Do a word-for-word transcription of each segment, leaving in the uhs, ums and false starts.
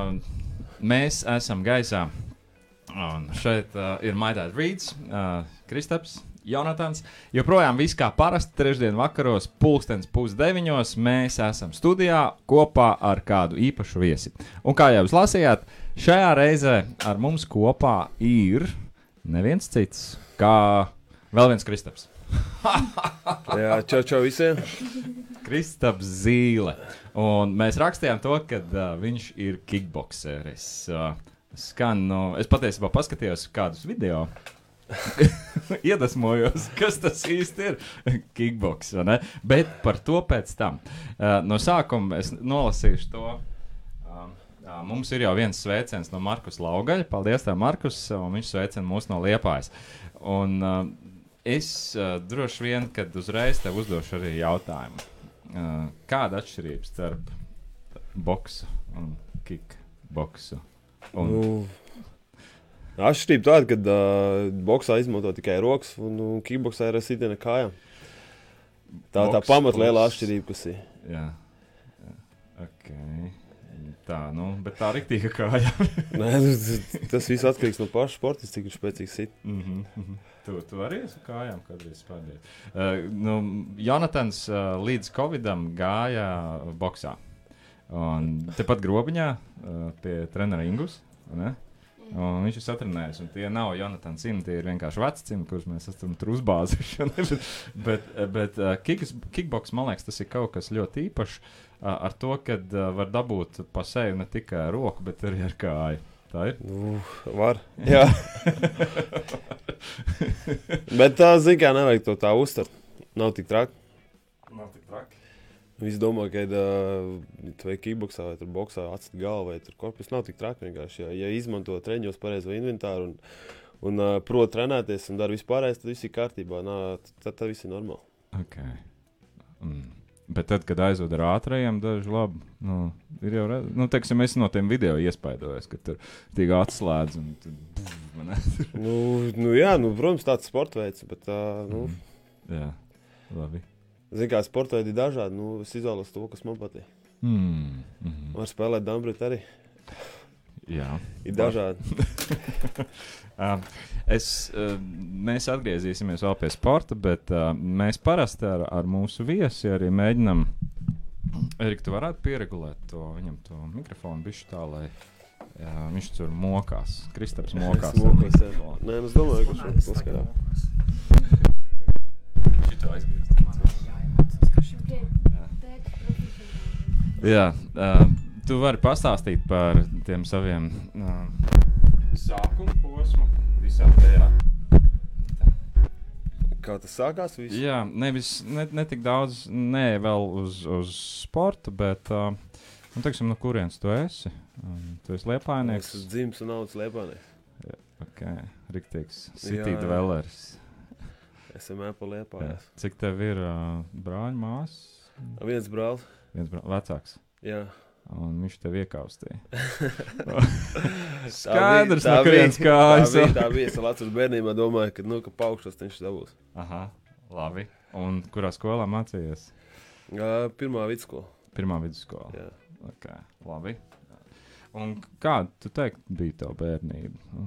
uh, mēs esam gaisā. Un šeit uh, ir Maidēta Rīds, uh, Kristaps, Jonatans. Joprojām viss kā parasti trešdien vakaros, pulkstens pusdeviņos. Mēs esam studijā kopā ar kādu īpašu viesi. Un kā jau jūs lasījāt, šajā reizē ar mums kopā ir neviens cits kā vēl viens Kristaps. Jā, čau, čau visiem. Kristaps Zīle. Un mēs rakstījām to, ka uh, viņš ir kickbokseris. Uh, skan, nu, es patiesībā paskatījos kādus video. Iedvesmojos, kas tas īsti ir kickboks, vai ne? Bet par to pēc tam. Uh, no sākuma es nolasīšu to. Uh, uh, mums ir jau viens sveiciens no Markus Laugaļa. Paldies tev, Markus, un viņš sveicina mūs no Liepājas. Un uh, es uh, droši vien, kad uzreiz tev uzdošu arī jautājumu. Uh, kāda atšķirība starp boksu un kickboksu? Un... Nu, atšķirība tāda, kad uh, boksā izmanto tikai rokas un, un kickboksā ir sitiena kājām. Tā ir tā pamatlielā atšķirība, kas ir. Jā, jā. Ok. Tā, nu, bet tā riktīga kāja. Nē, tas viss atkarīgs no paša sporta, cik ir spēcīgs sit. Mm -hmm. Tu, tu arī esi kājām kādreiz spēdējis. Uh, nu, Jonatans uh, līdz Covidam gāja boksā. Un tepat Grobiņā uh, pie trenera Ingus, ne? Un viņš ir satrenējis, un tie nav Jonatans cimdi, tie ir vienkārši veci cimdi, kurus mēs esam tur uzbāzuši. bet bet uh, kicks, kickboks, man liekas, tas ir kaut kas ļoti īpašs uh, ar to, ka uh, var dabūt pa seju ne tikai roku, bet arī ar kāju. Tā ir? Nu, var, jā. Bet tā, zin kā, nevajag to tā uztvert. Nav tik traki. Nav tik traki. Visi domā, ka uh, vai kickboksā, vai tur boksā atsit galvu, vai tur korpus. Nav tik traki vienkārši. Ja, ja izmanto treņos pareizo inventāru un, un uh, prot trenēties un dara vispārējais, tad viss ir kārtībā. Nā, tad, tad viss ir normāli. Ok. Mm. Bet tad, kad aizved ar ātrajiem, daži labi, nu, ir jau, redz, nu, teiksim, es no tiem video iespaidojos, ka tur tik atslēdz un tur, buf, man nu, nu, jā, nu, protams, tāds sporta veids, bet, uh, nu. Mm. Jā, labi. Zin kā, sporta veidi ir dažādi, nu, es izvēlos to, kas man patīk. Mm. Mm-hmm. Var spēlēt dambrit arī. Jā. Ir dažādi. uh, es, uh, mēs atgriezīsimies vēl pie sporta, bet uh, mēs parasti ar, ar mūsu viesi arī mēģinam. Erika, tu varētu pieregulēt to, viņam to mikrofonu bišķi tā, lai jā, viņš tur mokās. Kristaps mokās. Es mokos, jā. Nē, es domāju, ka šo paskatā. Šito aizgriezt. Jā. Jā, uh, tu vari pastāstīt par tiem saviem uh, sākuma posmu visā tajā. Kā tas sākās viss? Jā, nevis, ne, ne tik daudz, ne vēl uz, uz sportu, bet, uh, nu, teiksim, no kurienes tu esi? Um, tu esi Liepājnieks? Es esmu dzimis un audzis Liepājnieks. Jā, ok, riktīgs city dwellers. Esam ēpa Liepājās. Cik tev ir uh, brāļi, mās? Viens brālis. Viens brālis, vecāks. Jā. Un viņš tev iekaustīja. Skaidrs, no kurienes kājas. Tā bija, tā bija. Es vēl atceros bērnībā domāju, ka, nu, ka paukšos viņš dabūs. Aha, labi. Un kurā skolā mācījies? Uh, pirmā vidusskola. Pirmā vidusskola. Jā. Ok, labi. Un kāda, tu teikt, bija tev bērnība?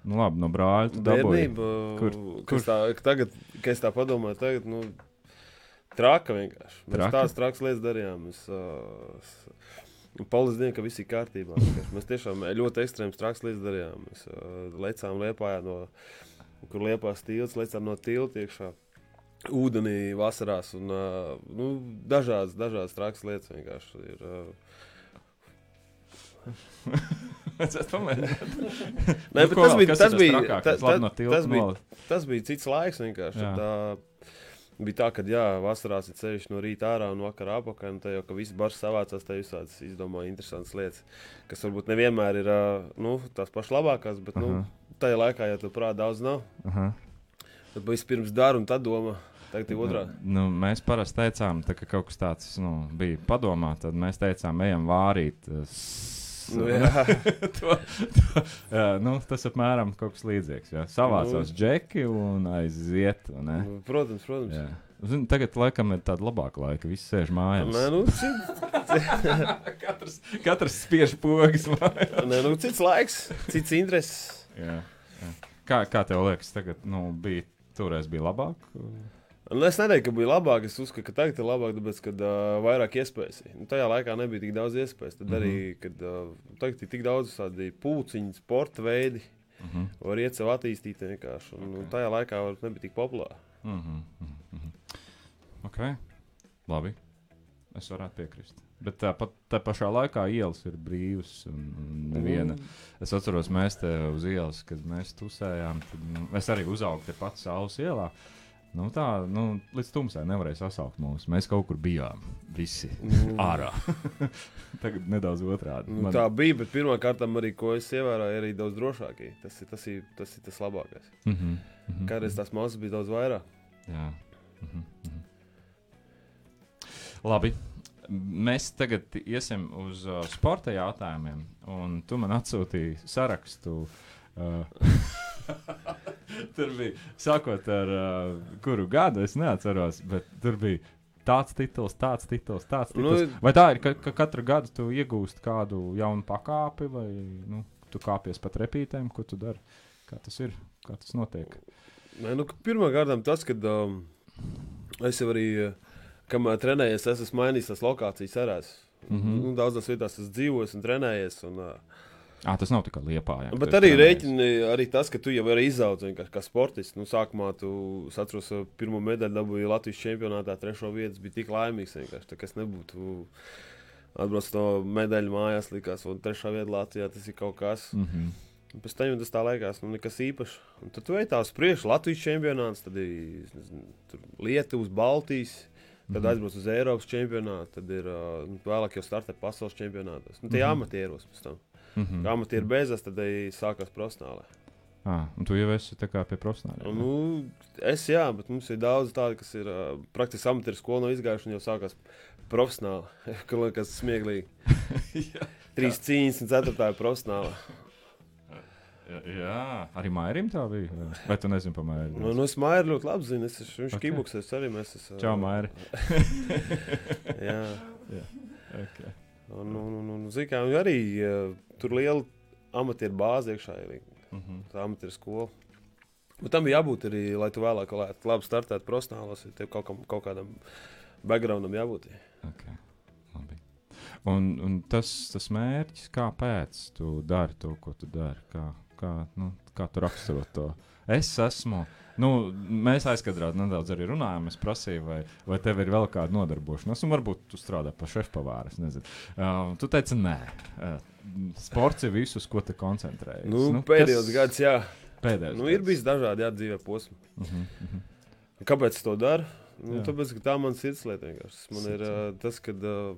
Nu labi, no brāļa tu dabūji. Bērnība, Kur, kur? Tā, tagad, kad es tā padomāju, tagad, nu, traka vienkārši. Mēs Traka? tās trakas lietas darījām. Mēs, uh, paldies Dievam, ka viss ir kārtībā. Mēs tiešām ļoti ekstrēmas trakas lietas darījām. Mēs uh, lecām Liepājā no, kur Liepās tilts, lecām no tilta iekšā ūdenī vasarās un, uh, nu, dažādas, dažādas trakas lietas vienkārši ir. Uh, Es pamēģināt. Nē, bet tas bija, tas bija, tas, tas, no tas bija, tas bija cits laiks vienkārši. Jā. Tā, bija tā, ka jā, vasarās ir ceļš no rīta ārā un vakarā apakaļ, un te jau, ka visi bars savācās, te visādas izdomāja interesantas lietas, kas varbūt nevienmēr ir, nu, tās pašas labākās, bet, nu, tajā laikā, ja tu prāt daudz nav, Aha. tad vispirms daru un tad domā. Tagad ir otrādi. Nu, nu, mēs parasti teicām, tā, ka kaut kas tāds nu, bija padomā, tad mēs teicām, ejam vārīt. Nu, jā. to, to, jā, nu, tas apmēram kaut kas līdzīgs. Jā. Savācās nu, džeki un aiziet. Ne? Protams, protams. Jā, Zin, tagad laikam ir tāda labāka laika, visi sēž mājās. Nē, nu, cits... katrs, katrs spiež pogas mājās. Nē, nu, cits laiks, cits intereses. Jā, jā. Kā, kā tev liekas, tagad, nu, bija, toreiz bija labāk? Nu, es neteiktu, ka bija labāk, es uzskatu, ka tagad ir labāk, tāpēc, kad uh, vairāk iespējas. Nu, tajā laikā nebija tik daudz iespējas, tad mm -hmm. arī, kad uh, tagad ir tik daudz tādi pūciņi, sporta veidi, mm -hmm. var iet sev attīstīt vienkārši, un okay. tajā laikā var nebija tik populāri. Mm -hmm, mm -hmm. Ok, labi, es varētu piekrist. Bet tā, pat, tā pašā laikā ielas ir brīvas un, un neviena. Mm. Es atceros, mēs te uz ielas, kad mēs tusējām, tad nu, es arī uzaugu te pats Saules ielā. Nu tā, nu, līdz tumsai nevarēja sasaukt mūs. Mēs kaut kur bijām, visi mm. ārā. Tagad nedaudz otrādi. Nu, Man... Tā bija, bet pirmā kārtām arī, ko es ievēroju, arī daudz drošākie. Tas ir tas, ir, tas, ir tas labākais. Mm -hmm, mm -hmm. Kādreiz tās masas bija daudz vairāk. Jā. Mm -hmm, mm -hmm. Labi. Mēs tagad iesim uz uh, sporta jautājumiem, un tu man atsūtīji sarakstu. Uh, tur bija, sākot ar uh, kuru gadu, es neatceros, bet tur bija tāds tituls, tāds tituls, tāds tituls. Nu, vai tā ir, ka, ka katru gadu tu iegūst kādu jaunu pakāpi, vai nu, tu kāpies pat repītēm, ko tu dari? Kā tas ir? Kā tas notiek? Nē, nu, pirmā kārtām tas, kad um, es jau arī... Uh, Kamēr trenējies, es esmu mainījis tās lokācijas arās. Mm -hmm. nu, daudzās vietās esmu dzīvojis un trenējies. Un, uh, à, tas nav tikai Liepājā. Bet arī rēķini, arī tas, ka tu jau vari izaugt kā, kā sportists. Nu, sākumā tu, es atceros, pirmo medaļu dabūju Latvijas čempionātā, trešo vietas, bija tik laimīgs vienkārši. Tā, kas nebūtu atbrauc no medaļu mājās, likās, un trešā vieta Latvijā, tas ir kaut kas. Mm -hmm. Un pēc tam tas tā liekas, nu nekas īpašs. Un tad tu ej tās priekš, Latvijas čempionāts, tad ir nezinu, Lietuvas, Baltijas. Tad mm-hmm. aizbrauc uz Eiropas čempionātu, tad ir uh, vēlāk jau startē pasaules čempionātos. Nu, tie mm-hmm. amatieros pēc tam. Mm-hmm. Kā amatieri beidzas, tad arī sākās profesionālē. Ah, un tu jau esi tā kā pie profesionāliem? Nu, es jā, bet mums ir daudz tādi, kas ir uh, praktiski amatieru skolu no izgājuši un jau sākās profesionāli. Kas smieklīgi. Trīs cīņas un ceturtā ir profesionāli. Jā, arī Mairim tā bija. Vai tu nezini par Mairu? Nu, nu es Mairu ļoti labi zinu. Es, viņš okay. kibuksēs arī mēs esam. Čau, Mairi. Jā. Jā, ok. Un, un, un, un zin kā, arī uh, tur liela amatieru bāze iekšā ir. Mm -hmm. Tā amatieru skola. Bet tam bija jābūt arī, lai tu vēlāk labi startētu profesionālos, ja tev kaut, kam, kaut kādam backgroundam jābūt. Ok, labi. Un, un tas, tas mērķis, kāpēc tu dari to, ko tu dari? Kā, kā, nu, kā tu raksturo to? Es esmu, nu, mēs aizkadrāt nedaudz arī runājām, es prasīju, vai, vai tev ir vēl kāda nodarbošanās, un varbūt tu strādā pa šefpavāru, es nezinu. Uh, tu teici, nē, uh, sports ir visus, ko te koncentrējies. Nu, nu, pēdējos kas... gads, jā. Pēdējos nu, gads. Ir bijis dažādi, jā, dzīvē posmi. Uh -huh, uh -huh. Kāpēc es to daru? Nu, tāpēc, ka tā man sirdslieta vienkārši. Man ir uh, tas, kad... Uh,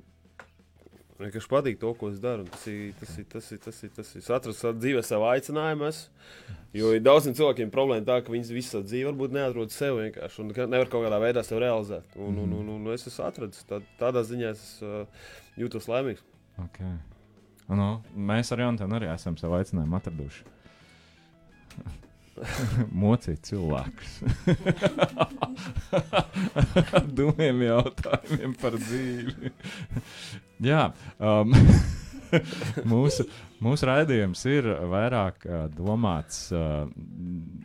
Vienkārši patīk to, ko es daru. Tas ir tas, ir, tas, ir, tas, ir, tas ir. Es atradu dzīvē savu aicinājumu. Es, jo ir daudziem cilvēkiem problēma tā, ka viņi visu dzīvi varbūt neatrod sev vienkārši. Un nevar kaut kādā veidā sev realizēt. Un, un, un, un es esmu atradis. Tā, tādā ziņā es uh, jūtos laimīgs. Okay. No, mēs ar Jontenu arī esam savu aicinājumu atraduši. Mocīt cilvēkus. Dumiem jautājumiem par dzīvi. Jā, um, mūsu, mūsu raidījums ir vairāk uh, domāts. Uh,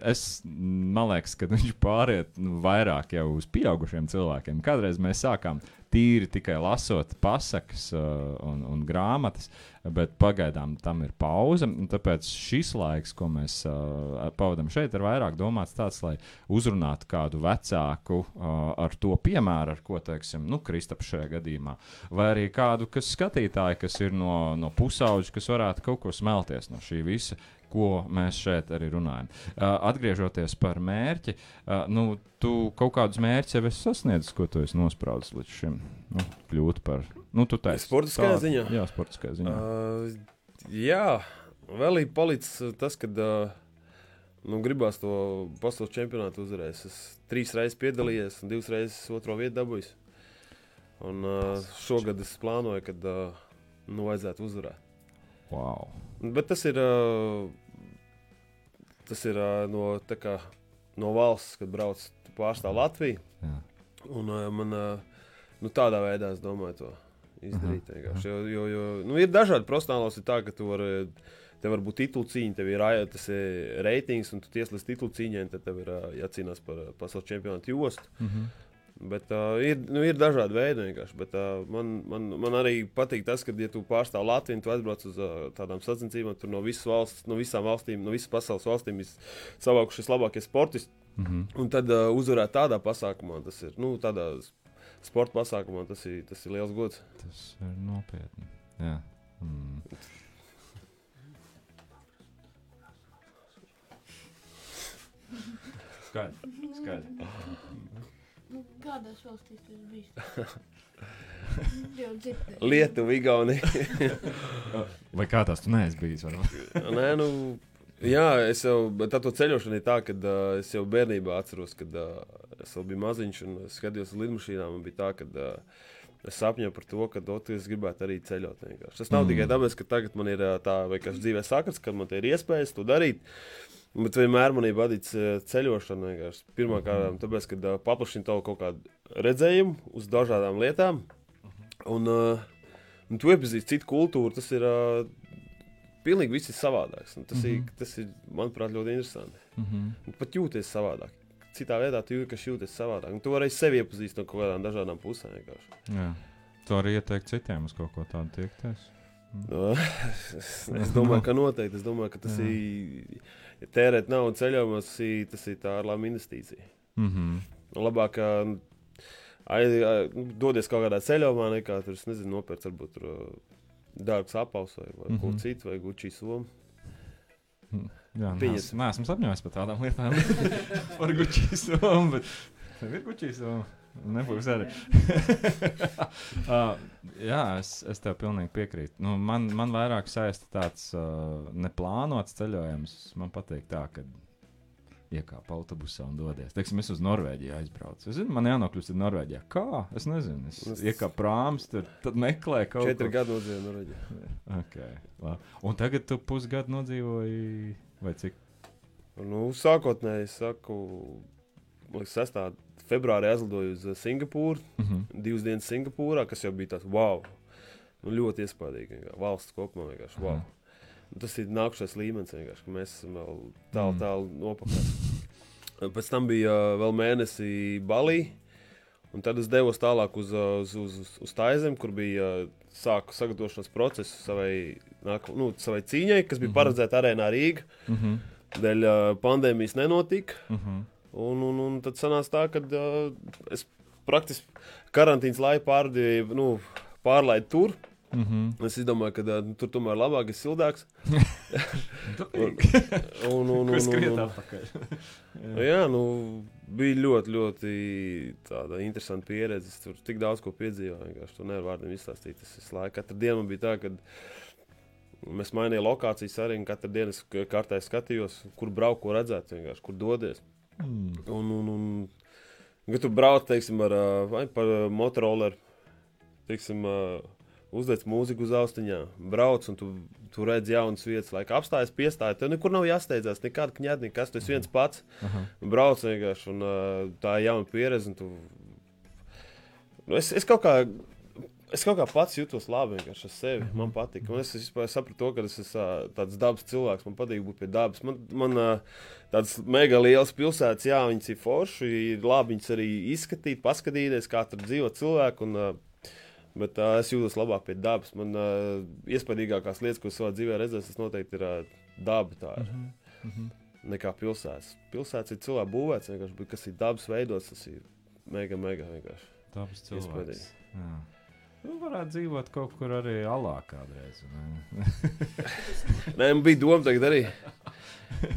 es, man liekas, ka viņš pāriet nu, vairāk jau uz pieaugušiem cilvēkiem. Kādreiz mēs sākām tīri tikai lasot pasakas uh, un, un grāmatas, bet pagaidām tam ir pauze. Tāpēc šis laiks, ko mēs uh, pavadām šeit, ir vairāk domāts tāds, lai uzrunātu kādu vecāku uh, ar to piemēru, ar ko, teiksim, nu, Kristaps šajā gadījumā, vai arī kādu, kas skatītāji, kas ir no, no pusauģa, kas varētu kaut ko smelties no šī visa, ko mēs šeit arī runājam. Uh, atgriežoties par mērķi, uh, nu, tu kaut kādus mērķus jau esi sasniedzis, ko tu esi nospraudis līdz šim, nu, kļūt par, nu, tu teici. Sportiskajā ziņā? Jā, sportiskajā ziņā. Uh, jā, vēl ir palicis tas, kad uh, nu, gribās to pasaules čempionātu uzvarēt. Es trīs reizes piedalījies un divas reizes otro vietu dabūjis. Un uh, šogad es plānoju, kad uh, nu, vajadzētu uzvarēt. Wow. Bet tas ir, uh, tas ir uh, no, tā kā, no valsts, kad brauc pārstāv Latviju. Jā. Un uh, man uh, nu, tādā veidā es domāju to izdarīt. Uh -huh. jo, jo, jo, nu, ir dažādi profesionālos, ir tā, ka tu vari, tev var būt titulu cīņa, tev ir tas ir reitings, un tu tieslīdz titulu cīņai, un tad tev ir uh, jācīnās par pasaules čempionātu jostu. Uh -huh. Bet uh, ir, nu, ir dažādi veidi vienkārši. Bet, uh, man, man, man arī patīk tas, ka, ja tu pārstāv Latviju, tu aizbrauc uz uh, tādām sacensībām, tur no visas valsts, no visām valstīm, no visas pasaules valstīm ir savākušies labākie sportisti. Mm -hmm. Un tad uh, uzvarēt tādā pasākumā, tas ir, nu, tādā sporta pasākumā, tas ir, tas ir liels gods. Tas ir nopietni. Jā. Mm. Skaidri, skaidri. Kādās valstīs tas bijis? Lietuva, Igaunija. Vai kā tās tu neesi bijis? Nē, nu, jā, es jau, tā to ceļošana ir tā, kad uh, es jau bērnībā atceros, kad uh, es vēl biju maziņš un skatījos uz lidmašīnām, un bija tā, kad uh, es sapņoju par to, ka ot, es gribētu arī ceļot vienkārši. Tas nav mm. tikai tāpēc, ka tagad man ir uh, tā, vai kas dzīvē sakars, kad man te ir iespējas to darīt, bet vienmēr man ir vadīts ceļošana vienkārši. Pirmā kārtā, tāpēc, kad uh, paplašina tavu kaut kādu redzējumu uz dažādām lietām, un, uh, un tu iepazīsti citu kultūru, tas ir uh, pilnīgi viss ir savādāks. Tas, mm -hmm. ir, tas ir, manuprāt, ļoti interesanti. Mm -hmm. Pat jūties savādāk. Citā veidā tu jūti, ka jūties savādāk. Un tu vari sevi iepazīst no kaut kādām dažādām pusēm vienkārši. Jā. Tu arī ieteikt citiem uz kaut ko tādu tiekties? Mm. No, es, es domāju, ka noteikti. Es domāju, ka tas Jā. ir... Ja tērēt naudu ceļojumos, tas ir, tas ir tā ārlēma investīcija. Mm -hmm. Labāk ai, ai, dodies kaut kādā ceļojumā, nekā tur, es nezinu, nopērts varbūt tur dārgs apaus vai, vai mm -hmm. ko citu, vai Gucci somu. Jā, Piņas. Neesmu sapņojis par tādām lietām. Par Gucci somu, bet tev ir Gucci somu. Nebūs arī. uh, jā, es, es tev pilnīgi piekrītu. Nu, man, man vairāk saista tāds uh, neplānots ceļojums. Man patīk tā, ka iekāp autobusā un dodies. Teiksim, es uz Norvēģiju aizbraucu. Es zinu, man jānokļūst uz Norvēģijā. Kā? Es nezinu. Es es... iekāpu prāms, tur, tad meklēju kaut ko. Četri gadu nodzīvoju Norvēģijā. Okay, labi. Un tagad tu pusgadu nodzīvoji, vai cik? Nu, sākotnēji, es saku, sestā februārī aizlidoju uz Singapūru, uh -huh. divas dienas Singapūrā, kas jau bija tāds wow, nu, ļoti iespaidīgi, valsts kopumā vienkārši wow. Uh -huh. Tas ir nākušais līmenis vienkārši, ka mēs esam vēl tālu, mm. tālu nopakaļ. Pēc tam bija uh, vēl mēnesi Balī, un tad es devos tālāk uz, uz, uz, uz Taizemi, kur bija uh, sāku sagatavošanas procesu savai, nāk, nu, savai cīņai, kas bija mm -hmm. paredzēta arēnā Rīga. Mm -hmm. Dēļ uh, pandēmijas nenotika. Mm -hmm. Un, un, un tad sanāca tā, ka uh, es praktiski karantīnas laiku pārdēju, nu, pārlaidu tur. Mm -hmm. Es domāju, ka uh, tur tomēr labāk ir sildāks. un, un, un, Ko skriet un, un, atpakaļ? jā. jā, nu, bija ļoti, ļoti tāda interesanta pieredze. Es tur tik daudz ko piedzīvoju, vienkārši tur nevar vārdiem izstāstīt. Tas visu laiku. Katru dienu man bija tā, ka mēs mainījām lokācijas arī, un katru dienu es kārtēji skatījos, kur braukt, ko redzēt, vienkārši, kur dodies. Mm. Un, un, un, kad tu brauc, teiksim, ar, vai par motoroleru, teiksim, uzliec mūziku uz austiņā, brauc, un tu, tu redz jaunas vietas, laika apstājas, piestāja, tev nekur nav jāsteidzās, nekāda kņēda, nekas, tu esi viens pats, uh-huh. brauc vienkārši, un tā ir jauna pieredze, un tu... Nu, es, es kaut kā... Es kaut kā pats jūtos labi vienkārši ar sevi. Mm-hmm. Man patīk. Un es, es sapratu to, ka es esmu tāds dabas cilvēks. Man patīk būt pie dabas. Man, man tādas mega lielas pilsētas, jā, viņas ir forši. Ir labi viņas arī izskatīt, paskatīties, kā tur dzīvo cilvēki. Un, bet uh, es jūtos labāk pie dabas. Man uh, iespaidīgākās lietas, ko es savā dzīvē redzēju, tas noteikti ir uh, daba. Tā ir. Mm-hmm. Nekā pilsētas. Pilsētas ir cilvēku būvēts vienkārši, bet kas ir dabas veidots, tas ir mega, mega vienkārši. Dabas cilvēks. Nu, varētu dzīvot kaut kur arī alā kādreiz. Nē, man bija doma tagad arī.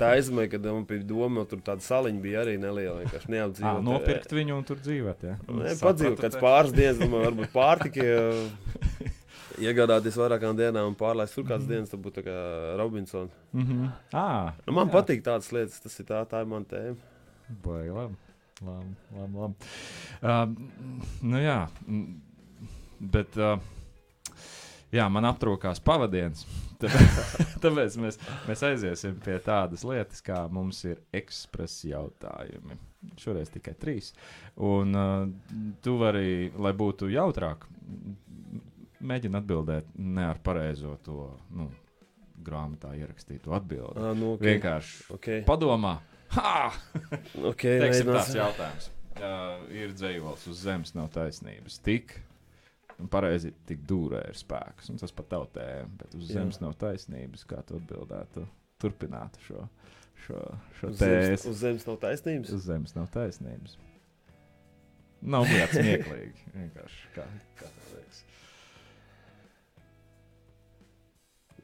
Tā aizmēja, kad man bija doma, tur tāda saliņa bija arī neliela, vienkārši neapdzīvot. Ā, nopirkt viņu un tur dzīvot, ja? Nē, padzīvot kāds pāris dienas, domāju, varbūt pārtika, iegādāties vairākām dienām un pārlaist tur kāds mm -hmm. dienas, tad būtu tā kā Robinson. Mm -hmm. ah, nu, man jā. patīk tādas lietas, tas ir tā, tā ir man tēma. Baigi, labi, labi, labi, labi. Uh, nu jā, bet, uh, jā, man aptrūkās pavadiens, tāpēc mēs, mēs aiziesim pie tādas lietas, kā mums ir ekspresa jautājumi. šoreiz tikai trīs. Un uh, tu vari, lai būtu jautrāk, mēģini atbildēt ne ar pareizo to, nu, grāmatā ierakstītu atbildi. Ah, nu, okay. Vienkārši okay. padomā. Ha! Okay, Teiksim tāds jautājums. Uh, ir dzējols uz zemes nav taisnības. Tik, un pareizi tik dūrē ir spēks. Un tas pat tautējam, bet uz Jā. zemes nav taisnības. Kā tu atbildētu? Turpinātu šo, šo, šo uz tēzi. zemes, uz zemes nav taisnības? Uz zemes nav taisnības. Nav bijāt smieklīgi. Vienkārši kā, kā tā liekas.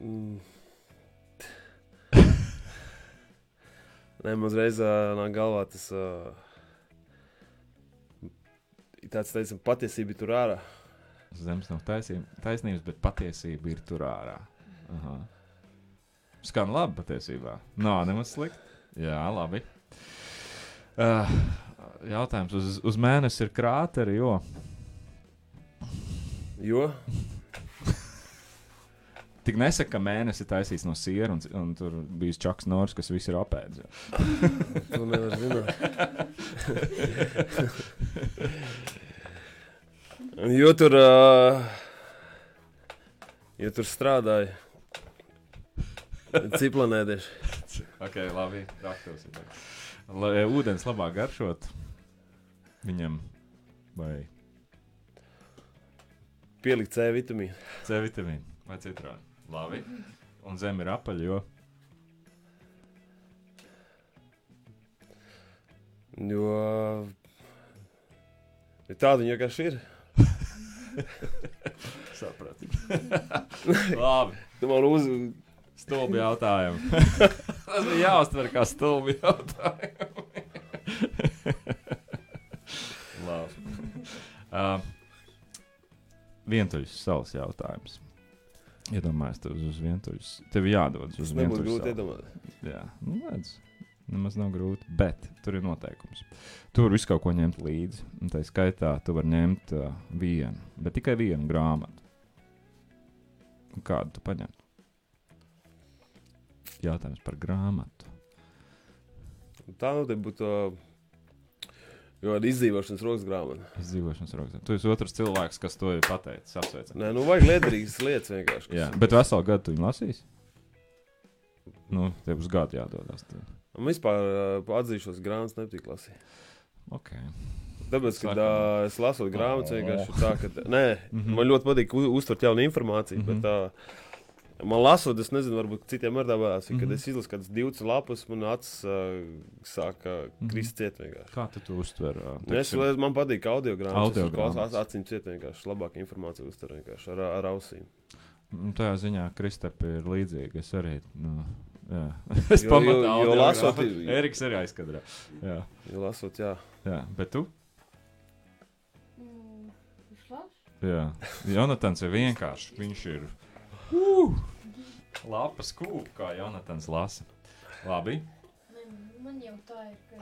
Mm. Nē, man uzreiz uh, nāk galvā tas uh, tāds, teicam, patiesība ir tur ārā. Uz zemes nav taisnības, taisnības, bet patiesība ir tur ārā. Aha. Skan labi patiesībā. Nav nemaz slikti. Jā, labi. Uh, jautājums. Uz, uz mēnesi ir krāteri, jo? Jo? Tik nesaka, ka mēnesi ir taisīts no siera, un, un tur bijis Čaks Nors, kas visu ir apēdis. To nevar zināt. jo tur, uh, jo tur strādāja ciplanēdieši. Ok, labi, raktos. Lai ūdens labāk garšot viņam vai Pielikt C vitamīnu. C vitamīnu vai citronu. Labi. Un zeme ir apaļa, jo? Jo... Ja tāda viņa vienkārši ir. Sapratu. Labi. Tu man uz... Stulbi jautājumu. Tas bija jāuztver kā stulbi jautājumu. Labi. Uh, vientuļas salas jautājums. Iedomājies tev uz vientuļas. Tev jādodas uz vientuļas salu. Nebūtu grūti iedomāt. Jā, nu redz. Nemaz nav grūti, bet tur ir noteikums. Tu vari visu kaut ko ņemt līdzi. Un tā skaitā tu vari ņemt uh, vienu, bet tikai vienu grāmatu. Un kādu tu paņemtu? Jautājums par grāmatu. Tā nu te būtu uh, izdzīvošanas rokas grāmata. Izdzīvošanas rokas. Tu esi otrs cilvēks, kas to ir pateicis. Apsveicam. Nē, nu vajag liederīgas lietas vienkārši. Jā, bet veselu gadu tu viņu lasīsi? Nu, tev uz gadu jādodas. Tev. Un vispār uh, atzīšos grāmatas nepatīk lasīt. Ok. Tāpēc, kad uh, es lasot grāmatas, vienkārši ir tā, ka... Nē, Mhm. man ļoti patīk u- uztvert jaunu informāciju, Mhm. bet uh, man lasot, es nezinu, varbūt citiem ar dabās, Mhm. kad es izlasu kādas divas lapas, man acis uh, sāk uh, Mhm. krist ciet vienkārši. Kā tu to uztver? ā, Nu, Es, teiksim? man patīk audio grāmatas, Audio es klausos grāmatas. acīm ciet vienkārši, labāk informāciju uztver vienkārši ar, ar ausīm. Nu, tajā ziņā Kristepi ir līdzīgi. Es arī, nu, jā. Es Jo- pamatu jo- jo audio lasot grāmatu. ir- Eriks arī aizkadrā. Jā, Jo lasot, jā. jā. Bet tu? Mm, es lasu. Jā. Jonatans ir vienkārši. Viņš ir uh, lapas kūp, kā Jonatans lasa. Labi. Ne, man jau tā ir, ka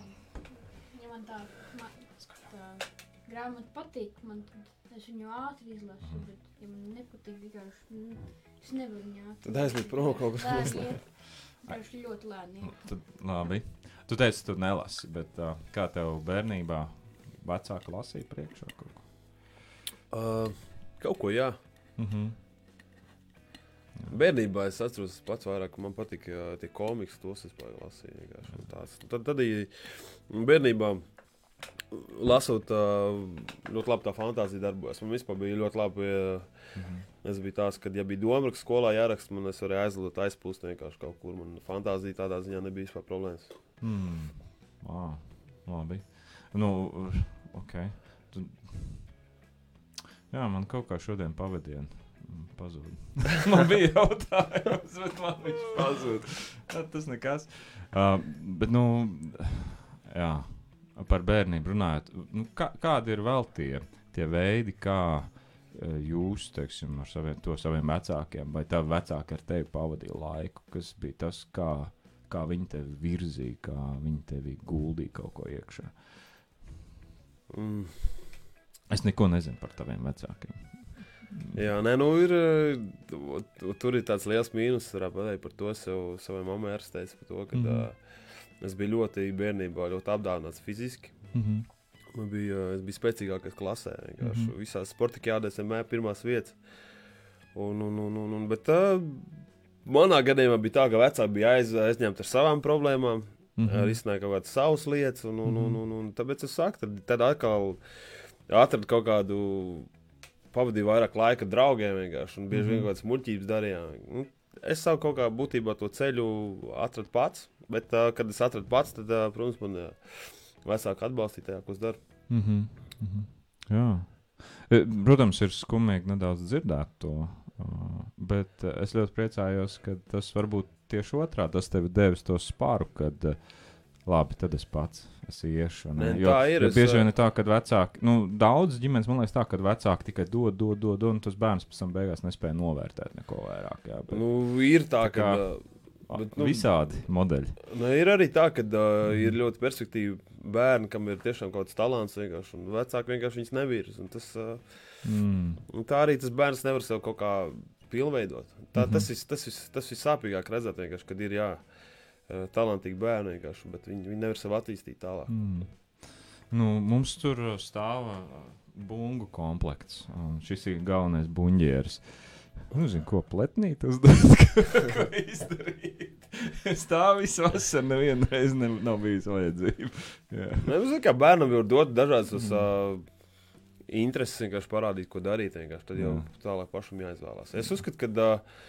ja man tā, man, tā grāmata patīk, man tad es viņu ātri izlasu, bet ja man nepatīk vienkārši, mm, es nevaru viņu ātri. Tad aizmet prom kaut kas Lēni noslēpt. iet, vienkārši ļoti lēni Nu, iet. Tad, labi. Tu teici, tu nelasi, bet uh, kā tev bērnībā vecāki lasīja priekšā kaut ko? Uh, kaut ko, jā. Mhm. Bērnībā es atceros pats vairāk, ka man patika jā, tie komiks, tos es pārāk lasīju vienkārši. un tāds. Tad, tad arī bērnībā lasot, uh, ļoti labi tā fantāzija darbojas. Man vispār bija ļoti labi, ja Mhm. es biju tās, kad ja bija domraksts skolā jāraksta, man es varēju aizlidot, aizpūst vienkārši kaut kur. Man fantāzija tādā ziņā nebija vispār problēmas. Hmm. Ah, labi. Nu, ok. Tu... Jā, man kaut kā šodien pavadienu pazūd. Man bija jautājums, bet man viņš pazūd. Jā, tas nekas. Uh, bet, nu, jā, par bērnību runājot, nu, kā, kādi ir vēl tie, tie veidi, kā uh, jūs, teiksim, ar saviem, to saviem vecākiem, vai tavi vecāki ar tevi pavadīja laiku, kas bija tas, kā, kā viņi tevi virzīja, kā viņi tevi guldīja kaut ko iekšā? Mm. Es neko nezinu par taviem vecākiem. Jā, nē, nu ir, tu- tur ir tāds liels mīnus, varētu pateikt par to, es jau savai mammai arī teicu par to, ka Mhm. mm. es biju ļoti bērnībā, ļoti apdāvināts fiziski. Mm-hmm. Man bija, es biju spēcīgākais klasē, vienkārši Mm-hmm. visās sportikjādēs vienmēr pirmās vietas. Un, un, un, un, un, bet uh, manā gadījumā bija tā, ka vecāki bija aiz, aizņemti ar savām problēmām, mm-hmm. risināja kaut kādas savas lietas, un, un, un, un, un tāpēc es saku, tad, tad atkal atradu kaut kādu, pavadīju vairāk laika draugiem vienkārši, un bieži mm-hmm. vien kaut kādas muļķības darījām. Nu, es savu kaut kā būtībā to ceļu atradu pats, bet uh, kad es atradu pats, tad, uh, protams, man uh, vecāki atbalstīja tajā, ko es daru. Mm-hmm. Mm-hmm. Jā. Protams, ir skumīgi nedaudz dzirdēt to, uh, bet uh, es ļoti priecājos, ka tas varbūt tieši otrā, tas tevi devis to spāru, kad uh, labi, tad es pats es iešu. Ne? Ne, jo, tā ir. jo Es, bieži vien ir tā, ka vecāki, nu, daudz ģimenes, man liekas tā, ka vecāki tikai dod, dod, dod, un tas bērns pēc tam beigās nespēja novērtēt neko vairāk. Jā, bet, nu, ir tā, tā kā, ka bet, nu, visādi modeļi. Nu, ir arī tā, ka uh, ir ļoti perspektīvi bērni, kam ir tiešām kaut kāds talants vienkārši, un vecāki vienkārši viņus nevirs. Un tas, uh, Mm. un tā arī tas bērns nevar sev kaut kā pilnveidot. Tā, Mhm. tas, ir, tas, ir, tas ir sāpīgāk redzēt vienkārši, kad ir jā, uh, talantīgi bērni vienkārši, bet viņi, viņi nevar sev attīstīt tālāk. Mm. Nu, mums tur stāv bungu komplekts, un šis ir galvenais buņģieris. Nu, zinu, ko pletnīt uzdot, ko izdarīt. Tā visu vasaru nevienu reizi ne, nav bijis vajadzība. Jā. Ne, nu, zin, kā bērnam var dot dažādas mm. uh, intereses, vienkārši parādīt, ko darīt, vienkārši. Tad jau Jā. tālāk pašam jāizvēlās. Es uzskatu, ka uh,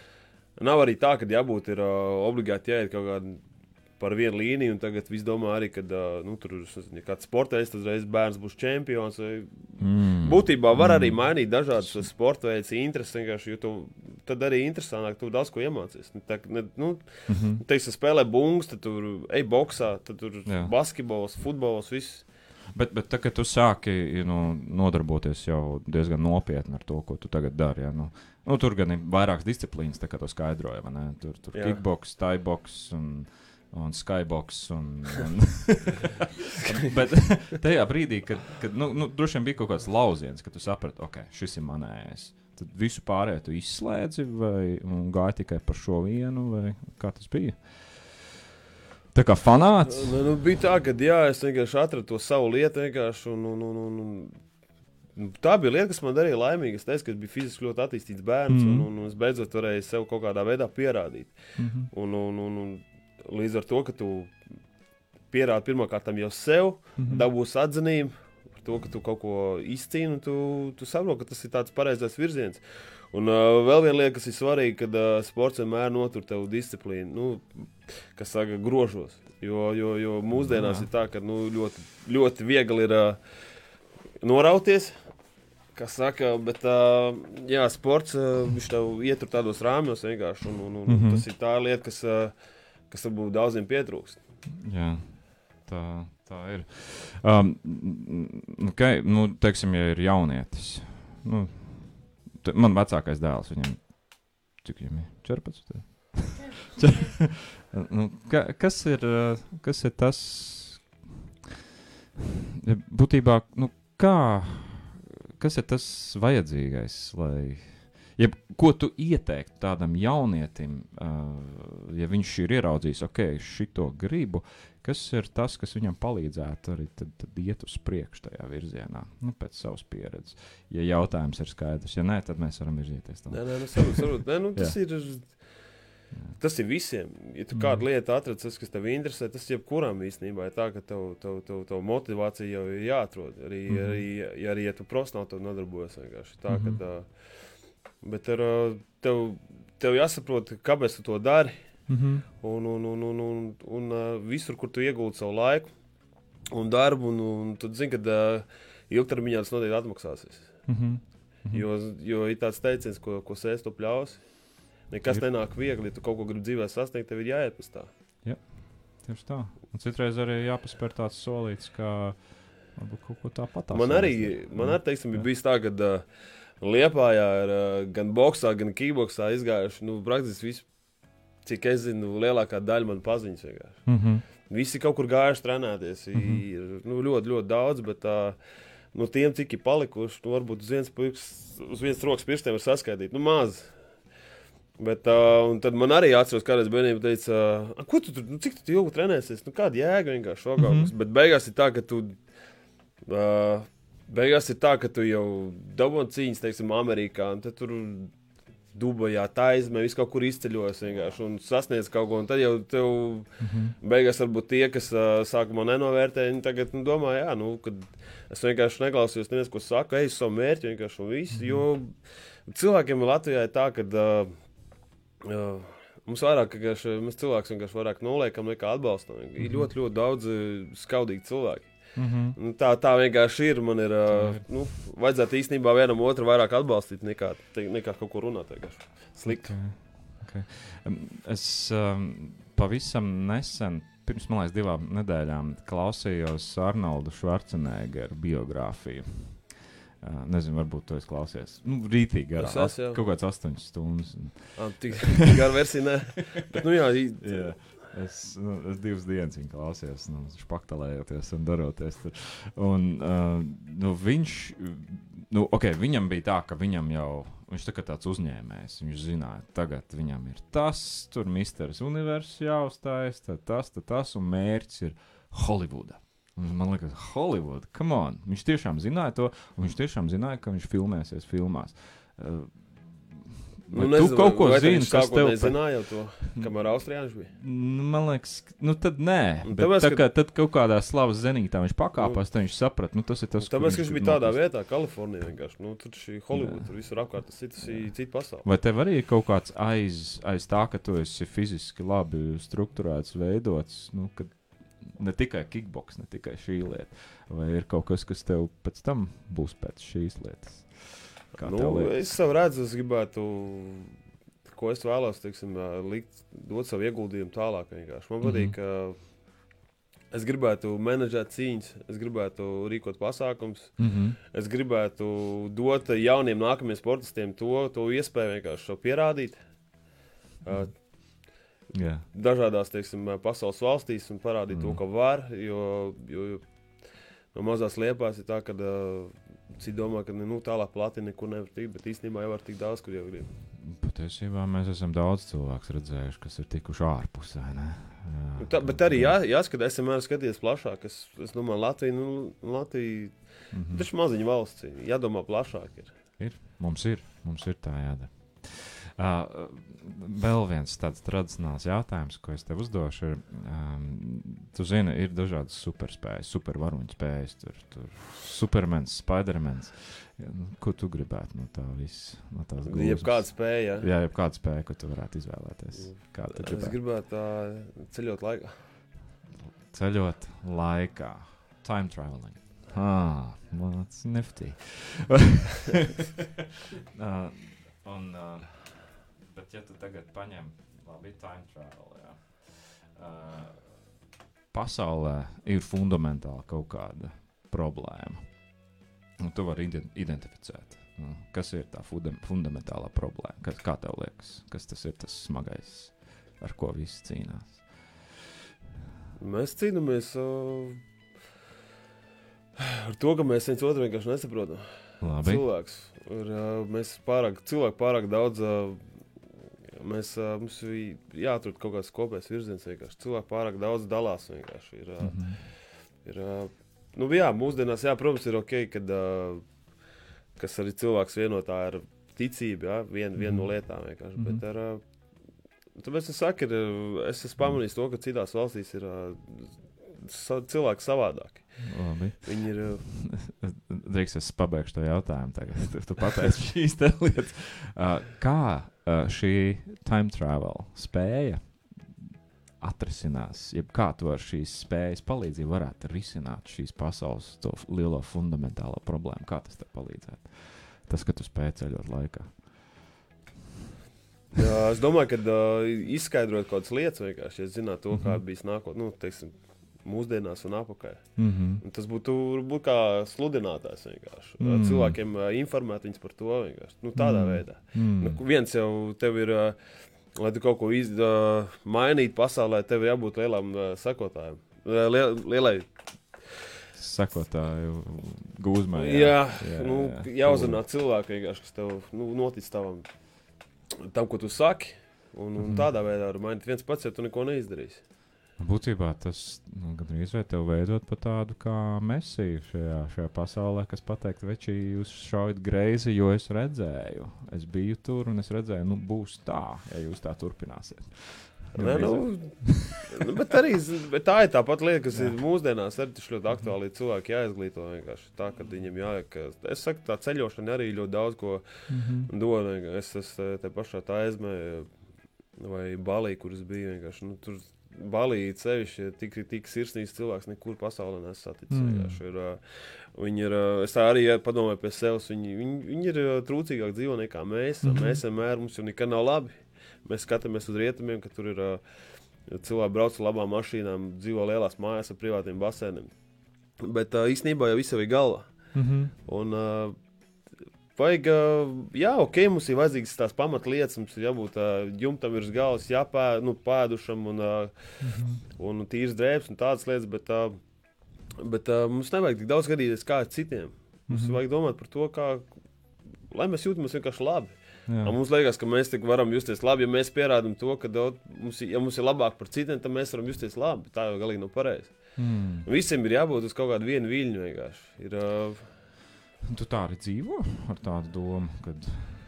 nav arī tā, ka jābūt ir uh, obligāti jāiet kaut kādu par vienu līniju, un tagad viss domā arī, ka uh, nu, tur ir kāds sportējs, tad reiz bērns būs čempions. Vai... Mm. Būtībā var Mm. arī mainīt dažādas sporta veidus, intereses vienkārši, jo tu, tad arī interesantāk, tu daudz ko iemācies. Tā, ne, nu, Mm-hmm. teiksim, spēlē bungas, tad tur ej boksā, tad tur Jā. basketbols, futbols, viss. Bet, bet tā, kad tu sāki nu, nodarboties jau diezgan nopietni ar to, ko tu tagad dari, ja, nu, nu, tur gan ir vairākas disciplīnas, tā kā to skaidroja, vai ne? Tur, tur Jā. kickboks, thaiboks un, un skyboks. Un, un bet tajā brīdī, kad, kad nu, nu, droši vien bija kaut kāds lauziens, kad tu saprati, ok, šis ir manējais. Tad visu pārējo tu izslēdzi vai gāji tikai par šo vienu, vai kā tas bija? Tā kā fanāts? Nu, nu, bija tā, ka jā, es vienkārši atradu to savu lietu vienkārši, un, un, un, un, un tā bija lieta, kas man darīja laimīgi. Es teicu, ka es biju fiziski ļoti attīstīts bērns, Mhm. mm. un, un es beidzot varēju sev kaut kādā veidā pierādīt. Mhm. Un, un, un, un līdz ar to, ka tu pierādi pirmkārt jau sev, Mhm. dabūsi atzinību par to, ka tu kaut ko izcīni, un tu, tu saproti, ka tas ir tāds pareizais virziens. Un uh, vēl viena lieta, kas ir svarīga, kad uh, sports vienmēr notur tev disciplīnu, nu, kas saka, grožos. Jo, jo, jo mūsdienās Jā. ir tā, ka nu, ļoti, ļoti viegli ir uh, norauties, kas saka, bet uh, jā, sports, uh, viņš tev ietur tādos rāmjos vienkārši, un, un, un Mhm. tas ir tā lieta, kas, uh, kas varbūt daudziem pietrūkst. Jā, tā, tā ir. Um, okay, nu, teiksim, ja ir jaunietis. Nu, te, man vecākais dēls, viņam, cik viņam ir? četrpadsmit? nu, ka, kas, ir, uh, kas ir tas, ja būtībā, nu, kā, kas ir tas vajadzīgais, lai, ja, ko tu ieteiktu tādam jaunietim, uh, ja viņš ir ieraudzījis, ok, šito gribu, kas ir tas, kas viņam palīdzētu arī tad, tad iet uz priekšu tajā virzienā, nu, pēc savas pieredzes. Ja jautājums ir skaidrs, ja nē, tad mēs varam virzīties tālāk. Nē, nē, nu, saprot, saprot. Nē, nu, tas, Jā. ir, tas ir visiem. Ja tu Mm. kādu lietu atrod, tas, kas tev interesē, tas jebkuram īstenībā ir tā, ka tev, tev, tev, tev motivācija jau ir jāatrod. Arī, Mhm. arī, ja, arī, ja tu profesionāli to nodarbojas vienkārši tā, Mhm. ka tā, bet ar, ā, tev, tev jāsaprot, kāpēc tu to dari, Mhm. un, un, un, un, un, un ā, visur, kur tu iegūti savu laiku un darbu, un, un tu zini, ka ā, ilgtermiņā tas noteikti atmaksāsies. Mhm. Mhm. Jo, jo ir tāds teiciens, ko, ko sēs tu pļaus. Nekas Ir. nenāk viegli, ja tu kaut ko gribi dzīvē sasniegt, tev ir jāiet pēc tā. Tieši tā. Un citreiz arī jāpaspēr tāds solīts, kā varbūt kaut ko tāpat. Man arī, man arī teiksim, ir bijis tā, ka uh, Liepājā ir uh, gan boksā, gan kickboksā izgājuši, nu, praktiski visi, cik es zinu, lielākā daļa man paziņas vienkārši. Mhm. Visi kaut kur gājuši trenēties, Mhm. ir nu, ļoti, ļoti daudz, bet uh, no tiem, cik ir palikuši, nu, varbūt uz vienas, pirks, uz vienas rokas pirkstiem var saskaitīt, nu, maz. Bet, uh, un tad man arī atceros, kādreiz bērnība teica, uh, ko tu tur, nu, cik tu ilgi trenēsies? Nu, kāda jēga vienkārši šogaugas? Mm-hmm. Bet beigās ir tā, ka tu, uh, beigās ir tā, ka tu jau dabon cīņas, teiksim, Amerikā, un tad tur Dubajā, Taizmē, visu kaut kur izceļojas vienkārši un sasniedz kaut ko, un tad jau tev mm-hmm. beigās varbūt tie, kas uh, sākumā nenovērtē, viņi tagad, nu, domā, jā, nu, kad es vienkārši neklausījos, neviens, ko saka, ej uz savu mērķi vienkārši un visu, mm-hmm. jo cilvēkiem Latvijā ir tā, ka uh, Uh, mums vairāk, ka mēs cilvēks vienkārši vairāk noliekam nekā atbalstam. Ir mm-hmm. ļoti, ļoti daudz skaudīgi cilvēki. Mm-hmm. Tā, tā vienkārši ir. Man ir, uh, nu, vajadzētu īstenībā vienam otru vairāk atbalstīt nekā, te, nekā kaut ko runāt vienkārši slikti. Okay. Okay. Es um, pavisam nesen, pirms, man liekas, divām nedēļām klausījos Arnoldu Švarceneggeru biogrāfiju. Uh, nezinu, varbūt to es klausies. Nu, rītīgi garā. Es esmu, kaut kāds astoņas stundas. Ah, tik gara versija, ne. Bet, nu jā. jā. Es, nu, es divas dienas viņu klausījos, nu, špaktalējoties un daroties tur. Un, uh, nu, viņš, nu, ok, viņam bija tā, ka viņam jau, viņš tā kā tāds uzņēmējs, viņš zināja, tagad viņam ir tas, tur misteris Universs jāuzstājas, tad tas, tad tas, un mērķis ir Hollywooda. Un man liekas, Hollywood, come on. Viņš tiešām zināja to, un viņš tiešām zināja, ka viņš filmēsies filmās. Uh, nu, tu nezinu, kaut ko zini, kas tev... nezināja jau to, kamēr Austrījāns bija? Nu, man liekas, nu tad nē. Bet tāpēc, tā kā, ka... tad kaut kādā slavas zenītā viņš pakāpās, tad viņš saprat, nu tas ir tas, tāpēc, ka viņš bija tādā vietā, Kalifornijā vienkārši. Nu, tur šī Hollywood, tur visur apkārt, tas ir cita pasaule. Vai tev arī ir kaut kāds aiz, aiz tā, ka tu esi fiziski labi strukturēts, veidots, nu, kad ne tikai kickboks, ne tikai šī lieta. Vai ir kaut kas, kas tev pēc tam būs pēc šīs lietas? Kā nu, es savu redzu, es gribētu, ko es vēlos, teiksim, likt, dot savu ieguldījumu tālāk vienkārši. Man patīk, mm-hmm. ka es gribētu menedžēt cīņas, es gribētu rīkot pasākums, mm-hmm. es gribētu dot jauniem nākamiem sportistiem to, to iespēju vienkārši šo pierādīt. Mm-hmm. Uh, Yeah. Dažādās, teiksim, pasaules valstīs un parādīt mm. to, ka var, jo, jo, jo no mazās Liepās ir tā, ka uh, citi domā, ka nu, tālāk plati nekur nevar tikt, bet īstenībā jau var tikt daudz, kur jau grib. Patiesībā mēs esam daudz cilvēks redzējuši, kas ir tikuši ārpusē, ne? Jā, tā, bet arī jā, jāskat, es vienmēr skaties plašāk, es, es domāju, Latvija, nu, Latvija, mm-hmm. taču maziņa valsts, jādomā plašāk ir. Ir, mums ir, mums ir tā jādara. Uh, vēl viens tāds tradicionāls jautājums, ko es tev uzdošu, ir, um, tu zini, ir dažādas superspējas, supervaroņu spējas, tur, tur Supermans, Spidermans. Ko tu gribētu no tā viss, no tās gūzmas? Jebkāda spēja, jā? Jā, jebkāda spēja, ko tu varētu izvēlēties. Kā tu gribētu? Es gribētu uh, ceļot laikā. Ceļot laikā. Time traveling. Ah, well, that's nifty. uh, un... Uh, Bet, ja tu tagad paņem, labi, time travel, jā. Uh, pasaulē ir fundamentāli kaut kāda problēma. Un tu vari identificēt, nu, kas ir tā funda- fundamentālā problēma. Kas, kā tev liekas, kas tas ir tas smagais, ar ko visi cīnās? Mēs cīnāmies uh, ar to, ka mēs viens otru vienkārši nesaprotam. Labi. Cilvēks. Ir, uh, mēs pārāk, cilvēki pārāk daudz... Uh, Mēs, uh, mums jāatrod kaut kāds kopējs virziens vienkārši. Cilvēki pārāk daudz dalās vienkārši. Ir, uh, mm-hmm. ir, uh, nu, jā, mūsdienās, jā, protams, ir ok, kad, uh, kas arī cilvēks vienotā ir ticība, jā, vien, mm-hmm. viena no lietām vienkārši. Mm-hmm. Bet ar, uh, tāpēc es saku, ir, es esmu pamanījis to, ka citās valstīs ir uh, sa, cilvēki savādāki. Labi. Viņi ir... Uh, Drīkst, es pabeigšu to jautājumu tagad. Tu, tu pateici šīs te lietas. Uh, kā uh, šī time travel spēja atrisinās, jeb kā tu ar šīs spējas palīdzību varētu risināt šīs pasaules to lielo fundamentālo problēmu? Kā tas tev palīdzētu? Tas, ka tu spēj ceļot laikā. Jā, es domāju, ka uh, izskaidrot kaut kādas lietas vienkārši, ja zinātu to, kā mm-hmm. bijis nākot, nu, teiksim, mūsdienās un apakaļ. Mm-hmm. Un tas būtu būt kā sludinātājs vienkārši. Mm-hmm. Cilvēkiem uh, informēt viņus par to vienkārši. Nu, tādā mm-hmm. veidā. Mm-hmm. Nu, viens jau tev ir, uh, lai tu kaut ko iz, uh, mainītu pasaulē, tev jābūt lielam uh, sakotājam. Uh, liel, lielai sakotāju gūzmai. Jā, jā, jā, nu, jā, jā. Jāuzrunā cilvēku vienkārši, kas tev nu, notic tavam tam, ko tu saki, un, un Mhm. tādā veidā var mainīt viens pats, ja tu neko neizdarīsi. Būtībā tas nu, gandrīz vai tev veidot pa tādu kā mesiju šajā, šajā pasaulē, kas pateikt, veči, jūs šaujat greizi, jo es redzēju. Es biju tur un es redzēju, nu būs tā, ja jūs tā turpināsiet. Nē, nu, nu, bet arī z- bet tā ir tā pat lieta, kas ir mūsdienās arī taču ļoti aktuāli. Cilvēki jāizglīto vienkārši tā, ka viņiem jāiek. ka- Es saku, tā ceļošana arī ļoti daudz ko Mhm. dod. vienkārši. Es esmu te pašā tā aizmē vai Balī, kur es biju vienkārši. Nu, tur Balī cevišķi tik, tik sirsnīgs cilvēks nekur pasaulē nesaticis. Mm. vienkārši Ir, uh, viņi ir, uh, es tā arī padomāju pie sevis. Viņi, viņi, viņi ir uh, trūcīgāk dzīvo nekā mēs. Mhm. Mēs vienmēr mums jau nekad nav labi. Mēs skatāmies uz rietumiem, ka tur ir uh, cilvēki brauc ar labām mašīnām, dzīvo lielās mājās ar privātiem basēniem. Bet uh, īstenībā jau viss jau ir galvā. Mhm. Un, uh, vajag, uh, jā, ok, mums ir vajadzīgas tās pamatlietas, mums ir jābūt uh, jumtam virs galvas, jāpēd, nu, pēdušam un, uh, Mhm. un tīrs drēbes un tādas lietas, bet, uh, bet uh, mums nevajag tik daudz skatīties kā ar citiem. Mums Mhm. vajag domāt par to, kā, lai mēs jūtamies vienkārši labi. Jā. Un mums liekas, ka mēs tik varam justies labi, ja mēs pierādām to, ka daudz, mums, ir- ja mums ir labāk par citiem, tad mēs varam justies labi. Tā jau galīgi nav pareizi. Mm. Visiem ir jābūt uz kaut kādu vienu viļņu vienkārši. Ir, uh, Tu tā arī dzīvo ar tādu domu, kad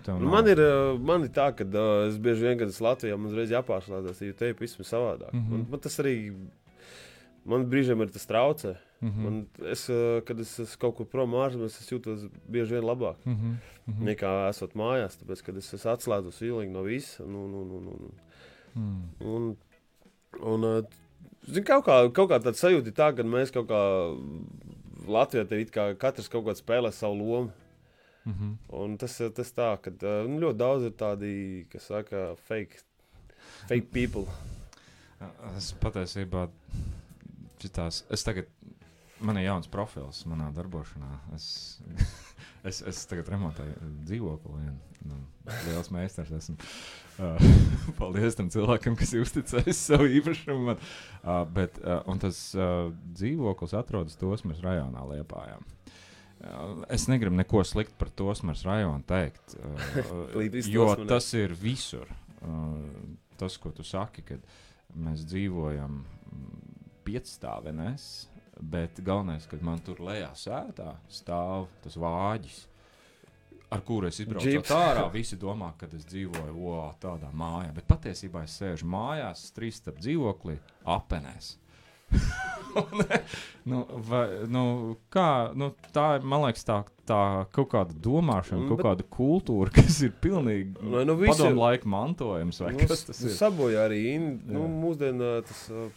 tev nu, nav- man, ir, uh, man ir tā, ka uh, es bieži vien, kad esmu Latvijā, man uzreiz jāpārslēdzas, jo te ir pavisam savādāk. Mhm. Man, man tas arī, man brīžiem ir tas traucē. Mhm. Man, es, uh, kad es esmu kaut kur prom ārzemēs, es jūtos bieži vien labāk. Mhm. Mhm. Nekā esot mājās, tāpēc, kad es esmu atslēdzos vilīgi no visa. Nu, nu, nu, nu, nu. Mm. Un, un uh, zin, kaut, kā, kaut kā tāda sajūta ir tā, ka mēs kaut kā Latvijā te it kā katrs kaut kādā spēlē savu lomu. Mhm. Un tas ir tas tā, ka uh, nu, ļoti daudz ir tādi, kas saka, fake, fake people. Es patiesībā šitās, es tagad, man ir jauns profils manā darbošanā. Es, es, es tagad remontēju dzīvokli. Vien, nu, liels meistars esmu. Uh, paldies tam cilvēkam, kas ir uzticējis savu īpašumu. Man. Uh, bet, uh, un tas uh, dzīvoklis atrodas Tosmers rajonā Liepājā. Uh, Es negribu neko sliktu par Tosmers rajonu teikt, uh, Līdz viss jo Tosmerē. tas ir visur. Uh, Tas, ko tu saki, kad mēs dzīvojam piecstāvenēs, bet galvenais, kad man tur lejā sētā stāv tas vāģis, ar kuru es izbraucu Džips. ārā. Visi domā, ka es dzīvoju o, tādā mājā, bet patiesībā es sēžu mājās, trīs starp dzīvoklī, apenēs. Un, nu, vai, nu, kā, nu, tā ir, man liekas, tā, tā kaut kāda domāšana, Mm, kaut bet- kāda kultūra, kas ir pilnīgi Nu, nu, visi- padomu laika mantojums. Vai Nu, kas tas ir? Sabojā arī in, nu, Jā. mūsdienā tas uh,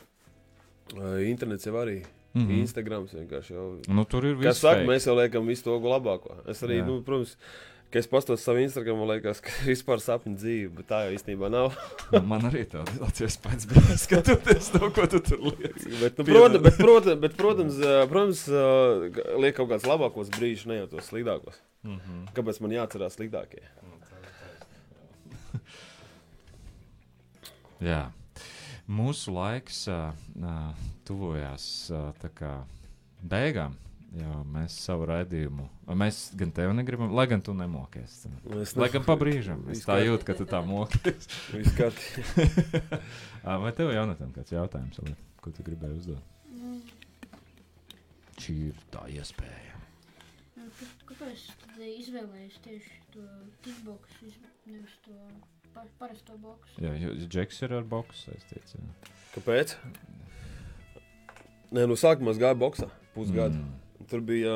uh, internets jau arī. Mm Mhm. -hmm. Instagrams vienkārši jau. Nu, tur ir Kā viss saka, fake. mēs jau liekam visu to labāko. Es arī, Jā. nu, protams, ka es pastos savu Instagram, man liekas, ka vispār sapņu dzīve, bet tā jau īstenībā nav. Nu, man arī tāds iespējas bija skatoties to, ko tu tur lieci. bet, nu, Piedod. protams, bet, protams, bet, protams, uh, protams uh, liek kaut kāds labākos brīžus, ne jau tos sliktākos. Mhm. Kāpēc man jāatcerās sliktākie? Jā. Mūsu laiks uh, uh, tuvojās uh, tā kā beigām. Jā, mēs savu raidījumu, mēs gan tevi negribam, lai gan tu nemokies. Es Lai gan pa brīžam. Es tā jūtu, ka tu tā mokies. Viss kārtībā. Ā, Vai tev, Jonatan, kāds jautājums, Ali, ko tu gribēji uzdot? Nu, Šī ir tā iespēja. nu, kā- kāpēc tad izvēlējies tieši to kickboksu, iz- nevis to pa, parasto boksu? Jā, jo Džeks ir ar boksu saistīts. Jā. Kāpēc? Nē, no sākumā es gāju boxā pusgadu. Mm. Tur bija,